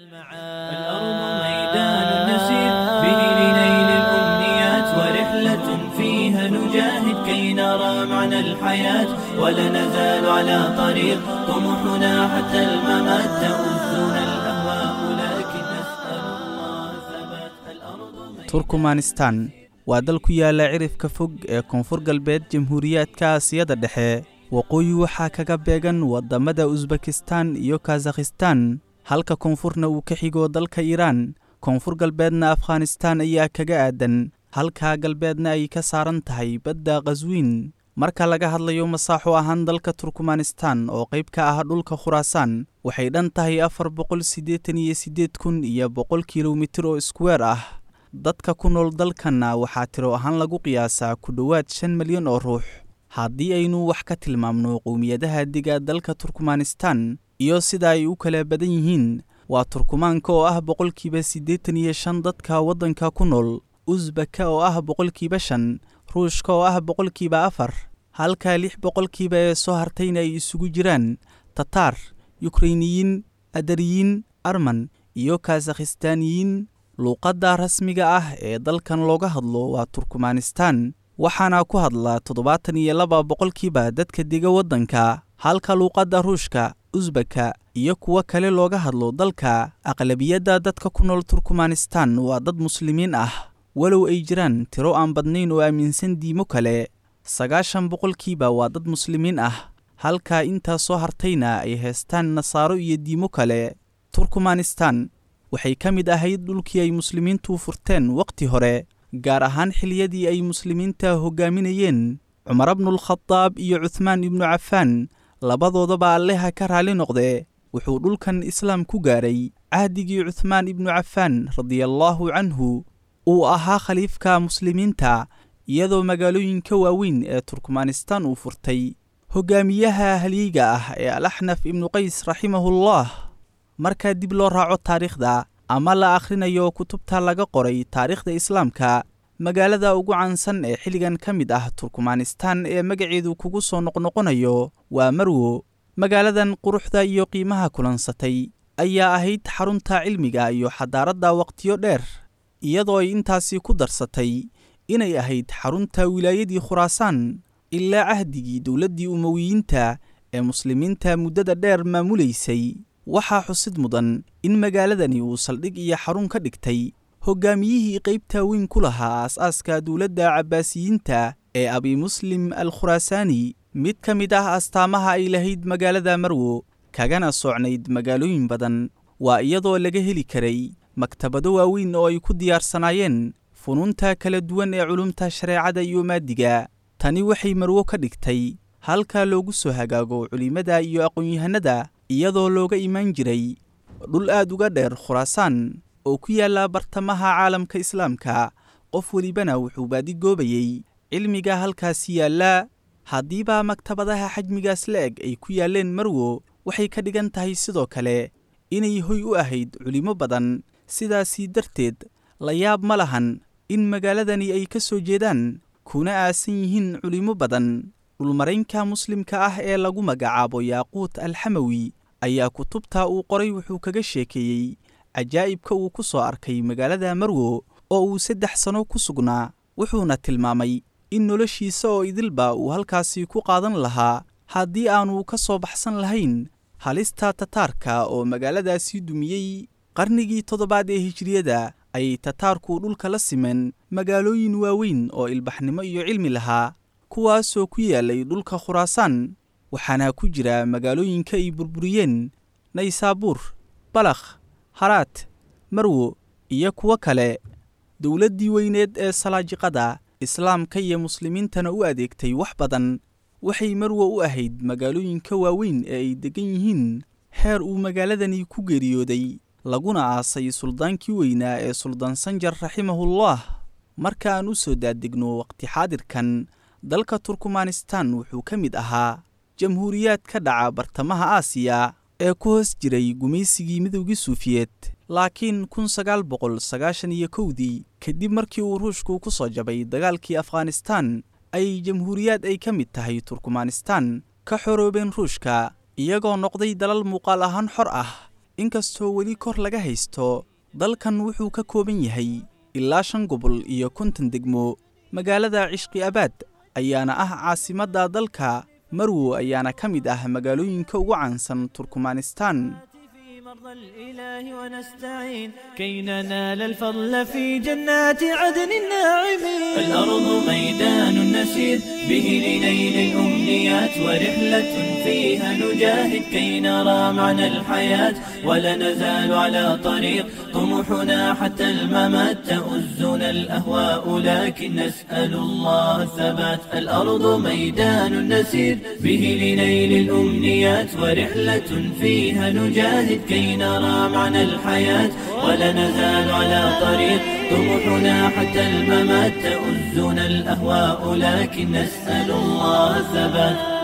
الأرض ميدان نسير به لنيل الأمنيات، ورحلة فيها نجاهد كي نرى معنى الحياة، ولا نزال على طريق طموحنا حتى الممات، تؤذنا الأهواء لكن نسأل الله ثبات. الأرض Turkmanistan waa dal ku yaala cirifka fog ee koonfur galbeed jamhuuriyaadka Aasiyada Dhexe. Waqooyi waxaa kaga beegan waddamada Usbekistan iyo Kazakhistan, halka koonfurna uu ka xigo dalka Iiraan. Koonfur galbeedna Afghanistan ayaa kaga aadan, halka galbeedna ay ka saaran tahay badda Qaswiin. Marka laga hadlayo masaaxo ahaan, dalka Turkmanistan oo qayb ka ah dhulka Khuraasaan waxay dhan tahay 488,100 kilomitir oo iskuweer ah. Dadka ku nool dalkanna waxaa tiro ahaan lagu qiyaasaa ku dhowaad 5 milyan oo ruux. Haddii aynu wax ka tilmaamno qowmiyadaha dega dalka Turkmanistan iyo sida ay u kala badan yihiin, waa Turkumaanka oo ah 85% dadka waddanka ku nool, Usbaka oo ah 5%, Ruushka oo ah 4%, halka 6% ee soo hartayna ay isugu jiraan Tataar, Yukrainiyiin, Adariyiin, Arman iyo Kasakhistaaniyiin. Luuqadda rasmiga ah ee dalkan looga hadlo waa Turkmanistan, waxaana ku hadla 72% dadka dega waddanka, halka luuqadda Ruushka, Usbaka iyo kuwo kale looga hadlo dalka. Aqlabiyadda dadka ku nool Turkmanistan waa dad Muslimiin ah, walow ay jiraan tiro aan badnayn oo aaminsan diimo kale. 90% waa dad Muslimiin ah, halka intaa soo hartayna ay haystaan Nasaaro iyo diimo kale. Turkmanistan waxay ka mid ahayd dhulkii ay Muslimiintu furteen wakhti hore, gaar ahaan xilliyadii ay Muslimiinta hoggaaminayeen Cumar bnulkhadaab iyo Cuthmaan ibnu Cafaan, labadoodaba Alleha ka raali noqdee. Wuxuu dhulkan Islaam ku gaaray cahdigii Cuthmaan ibnu Cafaan radiallaahu canhu uu ahaa khaliifka Muslimiinta, iyadoo magaalooyinka waaweyn ee Turkmanistan uu furtay hoggaamiyaha halyeyga ah ee Alaxnaf ibnu Qays raximahullah. Marka dib loo raaco taariikhda ama la akhrinayo kutubta laga qoray taariikhda Islaamka, magaalada ugu caansan ee xilligan ka mid ah Turkmanistan ee magaceedu kugu soo noqnoqonayo waa Marwo. Magaaladan quruxda iyo qiimaha kulansatay ayaa ahayd xarunta cilmiga iyo xadaaradda waqtiyo dheer, iyadoo ay intaasi ku darsatay inay ahayd xarunta wilaayadii Khuraasaan ilaa cahdigii dowladdii Umowiyiinta ee Muslimiinta muddada dheer maamulaysay. Waxaa xusid mudan in magaaladani uu saldhig iyo xarun ka dhigtay hoggaamiyihii qaybta weyn ku lahaa aas-aaska dowladda Cabbaasiyiinta ee Abi Muslim al Khuraasaani. Mid ka mid ah astaamaha ay lahayd magaalada Marwo kagana socnayd magaalooyin badan waa iyadoo laga heli karay maktabado waaweyn oo ay ku diyaarsanaayeen funuunta kala duwan ee culumta shareecada iyo maadiga. Tani waxay Marwo ka dhigtay halka loogu soo hagaago culimada iyo aqoon-yahanada, iyadoo looga imaan jiray dhul aad uga dheer Khuraasaan oo ku yaalla bartamaha caalamka Islaamka. Qof welibana wuxuu baadigoobayey cilmiga halkaasi yaalla. Haddiiba maktabadaha xajmigaas la eg ay ku yaalleen Marwo, waxay ka dhigan tahay sidoo kale inay hoy u ahayd culimo badan. Sidaasii darteed la yaab ma lahan in magaaladani ay ka soo jeedaan kuna aasan yihiin culimo badan. Dhulmaraynka Muslimka ah ee lagu magacaabo Yaaquut Alxamawi ayaa kutubta uu qoray wuxuu kaga sheekeeyey cajaa'ibka uu ku soo arkay magaalada Marwo oo uu 3 sano ku sugnaa, wuxuuna tilmaamay in noloshiisa oo idilba uu halkaasi ku qaadan lahaa haddii aanu ka soo baxsan lahayn halista Tataarka oo magaaladaasi dumiyey. Qarnigii toddobaad ee hijriyada ayay Tataarku dhulka la simeen magaalooyin waaweyn oo ilbaxnimo iyo cilmi lahaa, kuwaasoo ku yaalay dhulka Khuraasaan, waxaana ku jira magaalooyinka ay burburiyeen Naysaabuur, Balakh, Haraat, Marwo iyo kuwo kale. Dowladdii weyneed ee Salaajiqada Islaamka iyo Muslimiintana u adeegtay wax badan waxay Marwo u ahayd magaalooyinka waaweyn ee ay deggan yihiin, heer uu magaaladani ku geeriyooday laguna aasay suldaankii weynaa ee Suldaan Sanjar raximahullah. Marka aan u soo daadegno waqti xaadirkan, dalka Turkmanistan wuxuu ka mid ahaa jamhuuriyaad ka dhaca bartamaha Aasiya ee ku hoos jiray gumaysigii Midowgii Suufiyeed, laakiin 1991-dii, kadib markii uu Ruushku ku soo jabay dagaalkii Afghanistan, ay jamhuuriyaad ay ka mid tahay Turkmanistan ka xoroobeen Ruushka, iyagoo noqday dalal muuqaal ahaan xor ah. Inkastoo weli kor laga haysto, dalkan wuxuu ka kooban yahay ilaa 5 gobol iyo 50 degmo. Magaalada Cishqi Abaad ayaana ah caasimadda dalka. Marwo ayaana ka mid ah magaalooyinka ugu caansan Turkmanistan. في مرضى الإله ونستعين كي ننال الفضل في جنات عدن الناعمين. الأرض ميدان نسير به لنيل الأمنيات، ورحلة فيها نجاهد كي نرى معنى الحياة، ولا نزال على طريق طموحنا حتى الممات. تؤزنا الأهواء لكن نسأل الله الثبات. الأرض ميدان نسير به لنيل الأمنيات، ورحلة فيها نجاهد كي نرى معنى الحياة، ولا نزال على طريق طموحنا حتى الممات. تؤزنا الأهواء لكن نسأل الله الثبات.